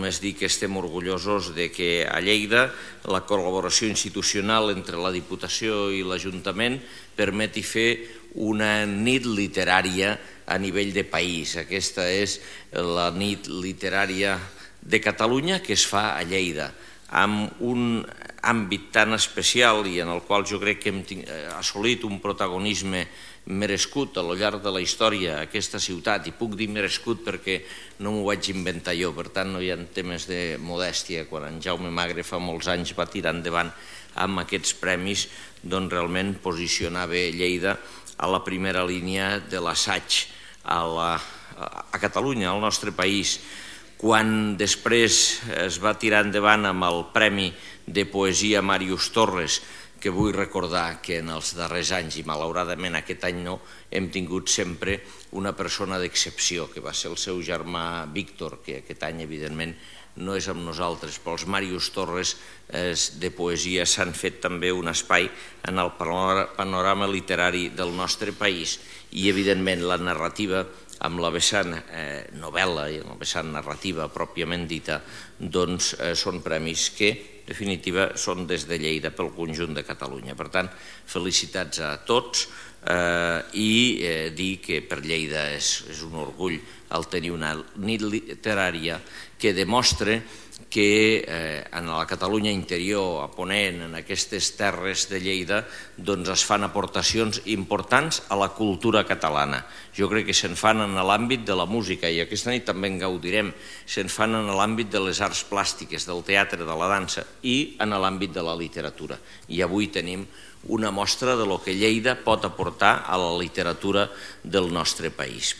només dir que estem orgullosos de que a Lleida la col·laboració institucional entre la Diputació i l'Ajuntament permeti fer una nit literària a nivell de país. Aquesta és la nit literària de Catalunya que es fa a Lleida, amb un àmbit tan especial i en el qual jo crec que hem assolit un protagonisme merescut al llarg de la història aquesta ciutat, i puc dir merescut perquè no m'ho vaig inventar jo, per tant no hi ha temes de modèstia. Quan en Jaume Magre fa molts anys va tirar endavant amb aquests premis, doncs realment posicionava Lleida a la primera línia de l'assaig a Catalunya, al nostre país. Quan després es va tirar endavant amb el Premi de Poesia Màrius Torres, que vull recordar que en els darrers anys, i malauradament aquest any no, hem tingut sempre una persona d'excepció, que va ser el seu germà Víctor, que aquest any evidentment no és amb nosaltres, però els Màrius Torres de poesia s'han fet també un espai en el panorama literari del nostre país, i evidentment la narrativa amb la vessant novel·la i amb la vessant narrativa pròpiament dita, doncs són premis que, en definitiva, són des de Lleida pel conjunt de Catalunya. Per tant, felicitats a tots i dir que per Lleida és un orgull el tenir una nit literària que demostra que en la Catalunya interior, a Ponent, en aquestes terres de Lleida, doncs es fan aportacions importants a la cultura catalana. Jo crec que se'n fan en l'àmbit de la música, i aquesta nit també en gaudirem, se'n fan en l'àmbit de les arts plàstiques, del teatre, de la dansa, i en l'àmbit de la literatura. I avui tenim una mostra de lo que Lleida pot aportar a la literatura del nostre país.